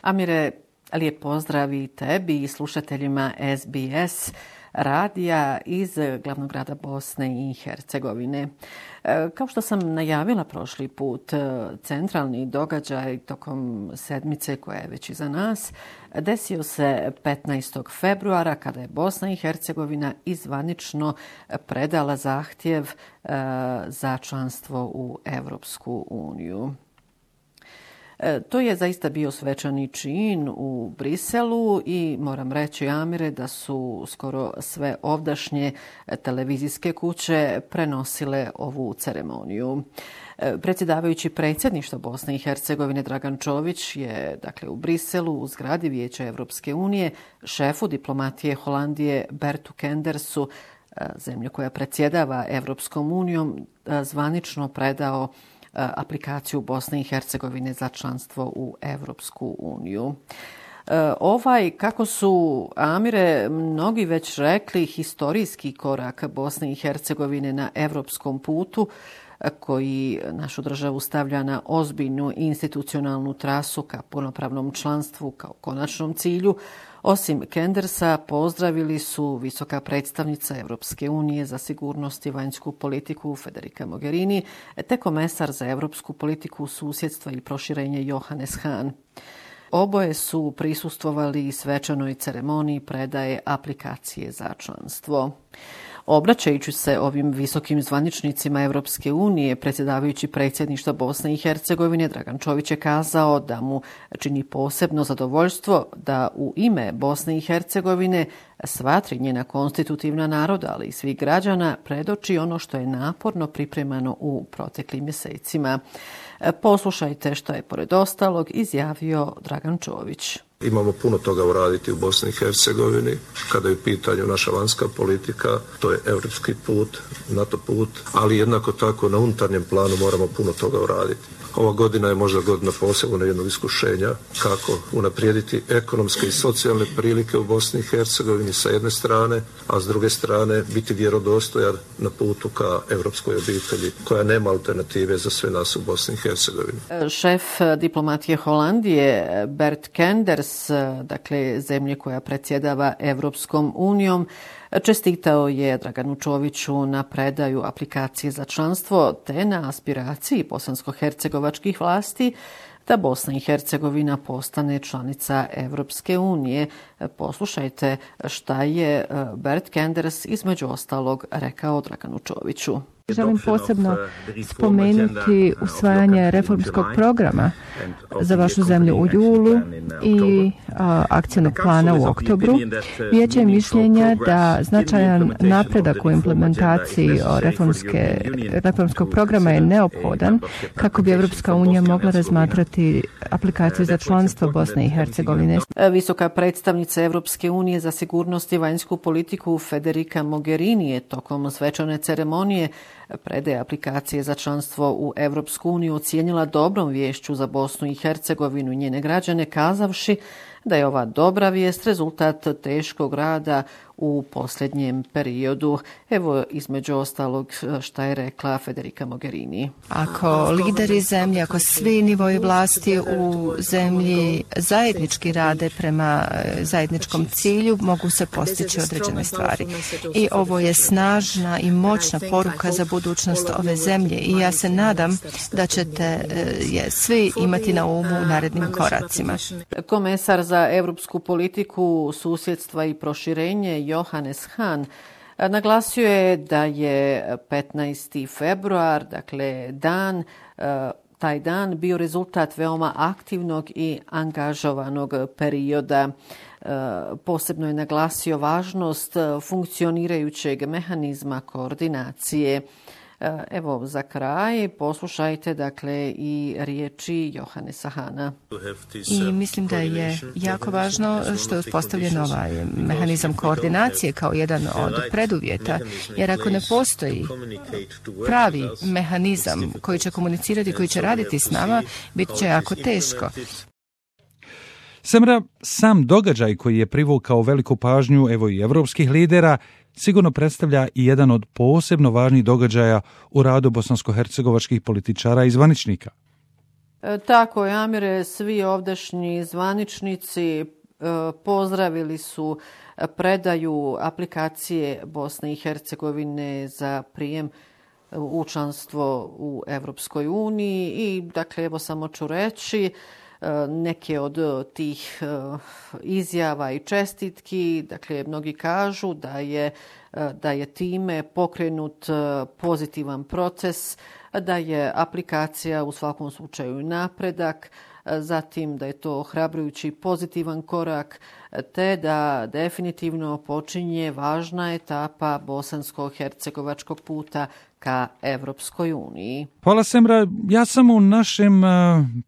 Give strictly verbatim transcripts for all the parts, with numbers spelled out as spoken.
Amire, lijep pozdrav i tebi i slušateljima S B S radija iz glavnog grada Bosne i Hercegovine. Kao što sam najavila prošli put, centralni događaj tokom sedmice koja je već iza nas desio se petnaestog februara kada je Bosna i Hercegovina izvanično predala zahtjev za članstvo u Europsku uniju. To je zaista bio svečani čin u Briselu i moram reći, Amire, da su skoro sve ovdašnje televizijske kuće prenosile ovu ceremoniju. Predsjedavajući predsjedništva Bosne i Hercegovine Dragan Čović je dakle u Briselu u zgradi Vijeća Europske unije šefu diplomatije Holandije Bertu Kendersu, zemlje koja predsjedava Europskom unijom, zvanično predao aplikaciju Bosne i Hercegovine za članstvo u Europsku uniju. Ovaj, kako su, Amire, mnogi već rekli, historijski korak Bosne i Hercegovine na europskom putu, koji našu državu stavlja na ozbiljnu institucionalnu trasu ka punopravnom članstvu kao konačnom cilju, osim Kendersa pozdravili su visoka predstavnica Europske unije za sigurnost i vanjsku politiku Federica Mogherini te komesar za europsku politiku, susjedstva i proširenje Johannes Hahn. Oboje su prisustvovali svečanoj ceremoniji predaje aplikacije za članstvo. Obraćajući se ovim visokim zvaničnicima Europske unije, predsjedavajući predsjedništva Bosne i Hercegovine, Dragan Čović je kazao da mu čini posebno zadovoljstvo da u ime Bosne i Hercegovine sva tri njena konstitutivna naroda, ali i svih građana, predoči ono što je naporno pripremano u proteklim mjesecima. Poslušajte što je pored ostalog izjavio Dragan Čović. Imamo puno toga uraditi u Bosni i Hercegovini. Kada je u pitanju naša vanjska politika, to je europski put, NATO put, ali jednako tako na unutarnjem planu moramo puno toga uraditi. Ova godina je možda godina posebno jednog iskušenja kako unaprijediti ekonomske i socijalne prilike u Bosni i Hercegovini sa jedne strane, a s druge strane biti vjerodostojan na putu ka europskoj obitelji koja nema alternative za sve nas u Bosni i Hercegovini. Šef diplomatije Holandije Bert Kenders, dakle zemlje koja predsjedava Europskom unijom, čestitao je Draganu Čoviću na predaju aplikacije za članstvo te na aspiraciji bosansko-hercegovačkih vlasti da Bosna i Hercegovina postane članica Europske unije. Poslušajte šta je Bert Kenders između ostalog rekao Draganu Čoviću. Želim posebno spomenuti usvajanje reformskog programa za vašu zemlju u julu i a, akcijnog plana u oktobru. Vijeće je mišljenja da značajan napredak u implementaciji reformske, reformskog programa je neophodan kako bi Europska unija mogla razmatrati aplikaciju za članstvo Bosne i Hercegovine. Visoka predstavnica Europske unije za sigurnost i vanjsku politiku Federica Mogherini je tokom svečane ceremonije predaje aplikacije za članstvo u Europsku uniju ocijenila dobrom viješću za Bosnu i Hercegovinu i njene građane, kazavši da je ova dobra vijest rezultat teškog rada u posljednjem periodu. Evo između ostalog šta je rekla Federica Mogherini. Ako lideri zemlje, ako svi nivoji vlasti u zemlji zajednički rade prema zajedničkom cilju, mogu se postići određene stvari. I ovo je snažna i moćna poruka za budućnost ove zemlje i ja se nadam da ćete je svi imati na umu u narednim koracima. Komesar za europsku politiku, susjedstva i proširenje Johannes Hahn naglasio je da je petnaesti februar, dakle dan, taj dan bio rezultat veoma aktivnog i angažovanog perioda. Posebno je naglasio važnost funkcionirajućeg mehanizma koordinacije. Evo, za kraj poslušajte dakle i riječi Johannesa Hahna. I mislim da je jako važno što je uspostavljen ovaj mehanizam koordinacije kao jedan od preduvjeta, jer ako ne postoji pravi mehanizam koji će komunicirati, koji će raditi s nama, bit će jako teško. Samra, sam događaj koji je privukao veliku pažnju evo i evropskih lidera sigurno predstavlja i jedan od posebno važnih događaja u radu bosansko-hercegovačkih političara i zvaničnika. Tako je, Amire, svi ovdašnji zvaničnici pozdravili su predaju aplikacije Bosne i Hercegovine za prijem u članstvo u Evropskoj uniji i dakle evo samo ću reći neke od tih izjava i čestitki. Dakle, mnogi kažu da je, da je time pokrenut pozitivan proces, da je aplikacija u svakom slučaju napredak, zatim da je to ohrabrujući pozitivan korak, te da definitivno počinje važna etapa bosansko-hercegovačkog puta ka Evropskoj uniji. Hvala, Semra. Ja sam u našem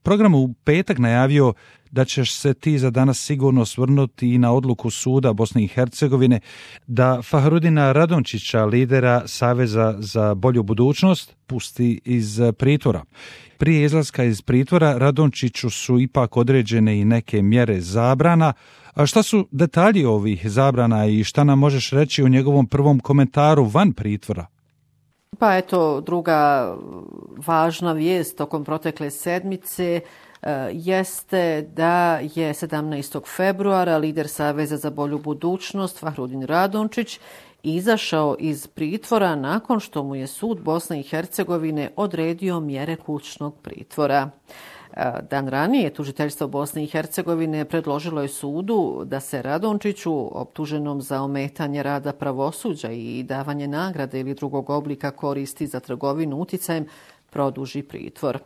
programu u petak najavio da ćeš se ti za danas sigurno osvrnuti i na odluku suda Bosne i Hercegovine da Fahrudina Radončića, lidera Saveza za bolju budućnost, pusti iz pritvora. Prije izlaska iz pritvora Radončiću su ipak određene i neke mjere zabrana. A šta su detalji ovih zabrana i šta nam možeš reći o njegovom prvom komentaru van pritvora? Pa eto, druga važna vijest tokom protekle sedmice jeste da je sedamnaestog februara lider Saveza za bolju budućnost Fahrudin Radončić izašao iz pritvora nakon što mu je sud Bosne i Hercegovine odredio mjere kućnog pritvora. Dan ranije tužiteljstvo Bosne i Hercegovine predložilo je sudu da se Radončiću, optuženom za ometanje rada pravosuđa i davanje nagrade ili drugog oblika koristi za trgovinu uticajem, produži pritvor.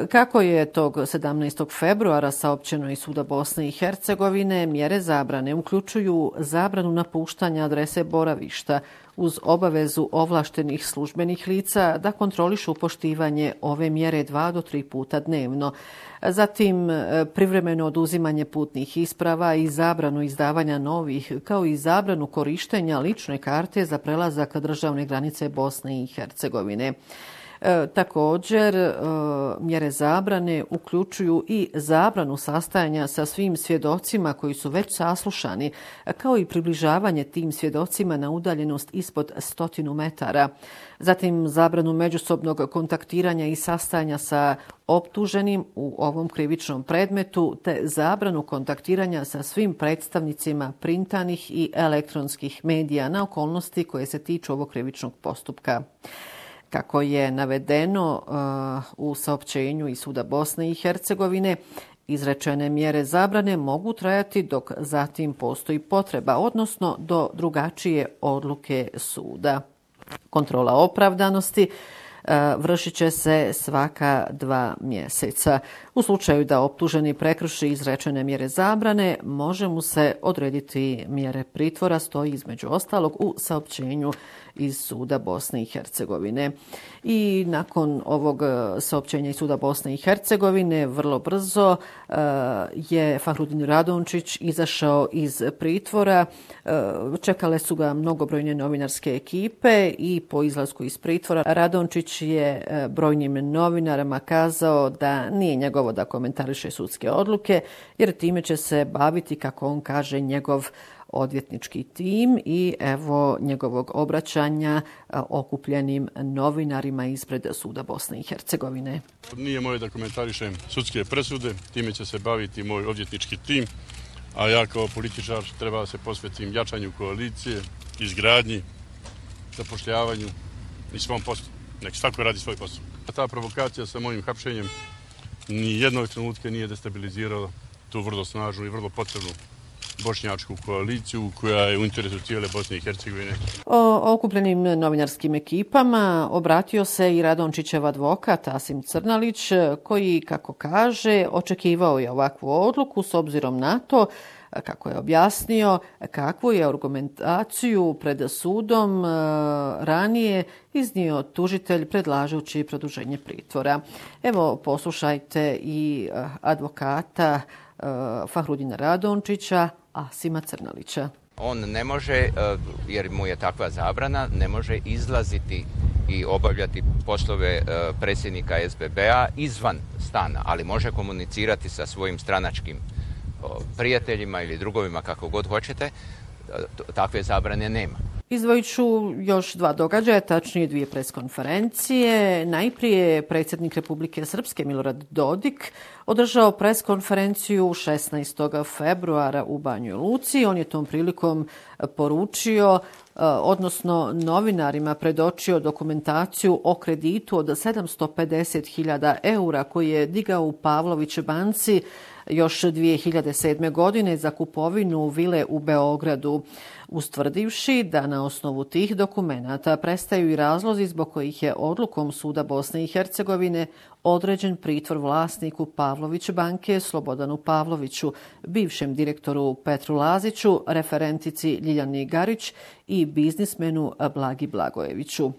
Kako je tog sedamnaestog februara saopćeno iz suda Bosne i Hercegovine, mjere zabrane uključuju zabranu napuštanja adrese boravišta uz obavezu ovlaštenih službenih lica da kontrolišu poštivanje ove mjere dva do tri puta dnevno. Zatim privremeno oduzimanje putnih isprava i zabranu izdavanja novih, kao i zabranu korištenja lične karte za prelazak državne granice Bosne i Hercegovine. E, također, e, mjere zabrane uključuju i zabranu sastajanja sa svim svjedocima koji su već saslušani, kao i približavanje tim svjedocima na udaljenost ispod stotinu metara. Zatim, zabranu međusobnog kontaktiranja i sastajanja sa optuženim u ovom krivičnom predmetu, te zabranu kontaktiranja sa svim predstavnicima printanih i elektronskih medija na okolnosti koje se tiču ovog krivičnog postupka. Kako je navedeno uh, u saopćenju iz suda Bosne i Hercegovine, izrečene mjere zabrane mogu trajati dok zatim postoji potreba, odnosno do drugačije odluke suda. Kontrola opravdanosti uh, vršit će se svaka dva mjeseca. U slučaju da optuženi prekrši izrečene mjere zabrane, može mu se odrediti mjere pritvora, stoji između ostalog u saopćenju iz suda Bosne i Hercegovine. I nakon ovog saopćenja iz suda Bosne i Hercegovine vrlo brzo uh, je Fahrudin Radončić izašao iz pritvora. Uh, čekale su ga mnogobrojne novinarske ekipe i po izlasku iz pritvora Radončić je uh, brojnim novinarima kazao da nije njegovo da komentariše sudske odluke, jer time će se baviti, kako on kaže, njegov odvjetnički tim i evo njegovog obraćanja okupljenim novinarima ispred suda Bosne i Hercegovine. Nije moje da komentarišem sudske presude, time će se baviti moj odvjetnički tim, a ja kao političar treba da se posvetim jačanju koalicije, izgradnji, zapošljavanju i svom poslu. Nek svako radi svoj posao. Ta provokacija sa mojim hapšenjem ni jednog trenutka nije destabilizirala tu vrlo snažnu i vrlo potrebnu bošnjačku koaliciju koja je u interesu cijele Bosne i Hercegovine. O okupljenim novinarskim ekipama obratio se i Radončićev advokat Asim Crnalić, koji, kako kaže, očekivao je ovakvu odluku s obzirom na to, kako je objasnio, kakvu je argumentaciju pred sudom ranije iznio tužitelj predlažući produženje pritvora. Evo, poslušajte i advokata Fahrudina Radončića, Asima Crnalića. On ne može, jer mu je takva zabrana, ne može izlaziti i obavljati poslove predsjednika S B B-a izvan stana, ali može komunicirati sa svojim stranačkim prijateljima ili drugovima, kako god hoćete. Takve zabrane nema. Izdvojit ću još dva događaja, tačnije dvije preskonferencije. Najprije predsjednik Republike Srpske Milorad Dodik održao preskonferenciju šesnaestog februara u Banjoj Luci. On je tom prilikom poručio, odnosno novinarima predočio dokumentaciju o kreditu od sedamsto pedeset hiljada eura koji je digao u Pavlović banci još dvije hiljade sedme. godine za kupovinu vile u Beogradu, ustvrdivši da na osnovu tih dokumenata prestaju i razlozi zbog kojih je odlukom Suda Bosne i Hercegovine određen pritvor vlasniku Pavlović banke Slobodanu Pavloviću, bivšem direktoru Petru Laziću, referentici Ljiljani Garić i biznismenu Blagi Blagojeviću. E,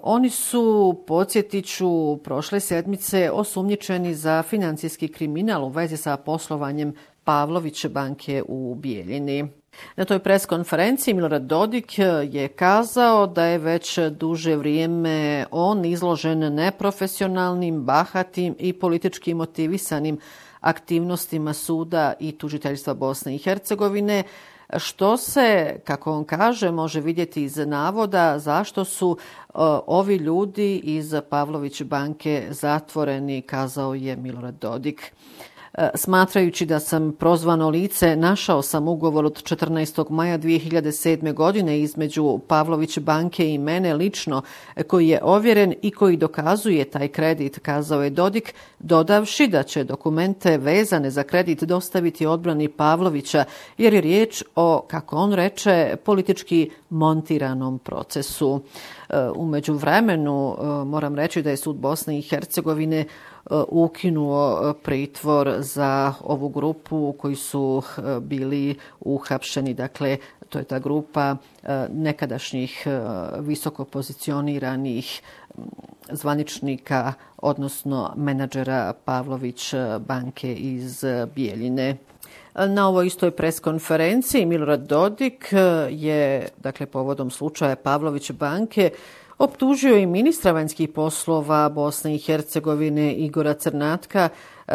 oni su, podsjetit ću, prošle sedmice osumnjičeni za financijski kriminal u vezi sa poslovanjem Pavlović banke u Bijeljini. Na toj preskonferenciji Milorad Dodik je kazao da je već duže vrijeme on izložen neprofesionalnim, bahatim i politički motivisanim aktivnostima suda i tužiteljstva Bosne i Hercegovine, što se, kako on kaže, može vidjeti iz navoda zašto su uh, ovi ljudi iz Pavlović banke zatvoreni, kazao je Milorad Dodik. Smatrajući da sam prozvano lice, našao sam ugovor od četrnaestog maja dvije hiljade sedme. godine između Pavlović banke i mene lično, koji je ovjeren i koji dokazuje taj kredit, kazao je Dodik, dodavši da će dokumente vezane za kredit dostaviti odbrani Pavlovića, jer je riječ o, kako on reče, politički montiranom procesu. U međuvremenu moram reći da je sud Bosne i Hercegovine ukinuo pritvor za ovu grupu koji su bili uhapšeni. Dakle, to je ta grupa nekadašnjih visoko pozicioniranih zvaničnika, odnosno menadžera Pavlović banke iz Bijeljine. Na ovoj istoj preskonferenciji Milorad Dodik je, dakle, povodom slučaja Pavlović banke optužio i ministra vanjskih poslova Bosne i Hercegovine Igora Crnatka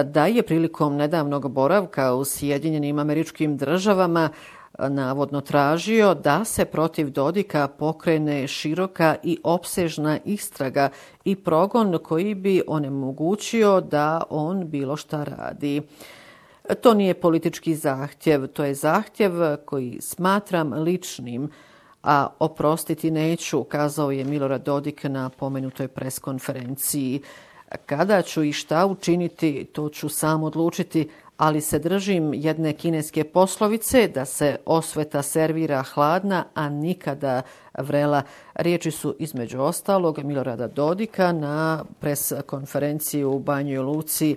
da je prilikom nedavnog boravka u Sjedinjenim Američkim Državama navodno tražio da se protiv Dodika pokrene široka i opsežna istraga i progon koji bi onemogućio da on bilo šta radi. To nije politički zahtjev, to je zahtjev koji smatram ličnim, a oprostiti neću, kazao je Milorad Dodik na pomenutoj preskonferenciji. Kada ću i šta učiniti, to ću sam odlučiti, ali se držim jedne kineske poslovice da se osveta servira hladna, a nikada vrela. Riječi su između ostalog Milorada Dodika na preskonferenciji u Banjoj Luci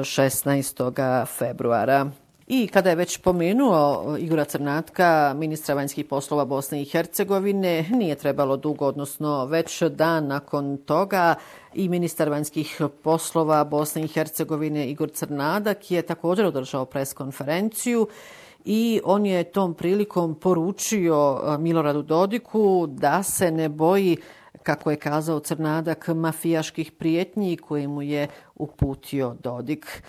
šesnaestog februara. I kada je već pomenuo Igora Crnatka, ministra vanjskih poslova Bosne i Hercegovine, nije trebalo dugo, odnosno već dan nakon toga i ministar vanjskih poslova Bosne i Hercegovine Igor Crnadak je također održao preskonferenciju i on je tom prilikom poručio Miloradu Dodiku da se ne boji, kako je kazao Crnadak, mafijaških prijetnji koje mu je uputio Dodik.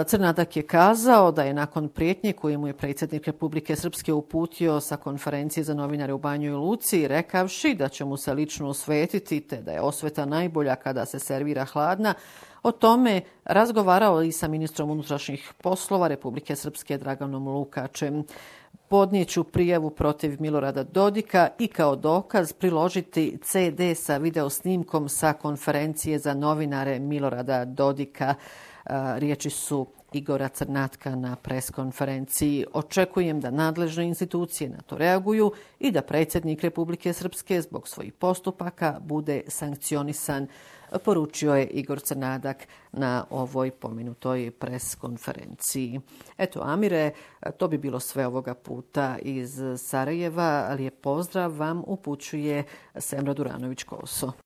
Crnadak je kazao da je nakon prijetnje koju mu je predsjednik Republike Srpske uputio sa konferencije za novinare u Banjoj Luci, rekavši da će mu se lično osvetiti te da je osveta najbolja kada se servira hladna, o tome razgovarao i sa ministrom unutrašnjih poslova Republike Srpske Draganom Lukačem. Podnijeću prijavu protiv Milorada Dodika i kao dokaz priložiti ce de sa videosnimkom sa konferencije za novinare Milorada Dodika. Riječi su Igora Crnatka na preskonferenciji. Očekujem da nadležne institucije na to reaguju i da predsjednik Republike Srpske zbog svojih postupaka bude sankcionisan, poručio je Igor Crnadak na ovoj pomenutoj preskonferenciji. Eto, Amire, to bi bilo sve ovoga puta iz Sarajeva. Lijep pozdrav vam upućuje Semra Duranović-Koso.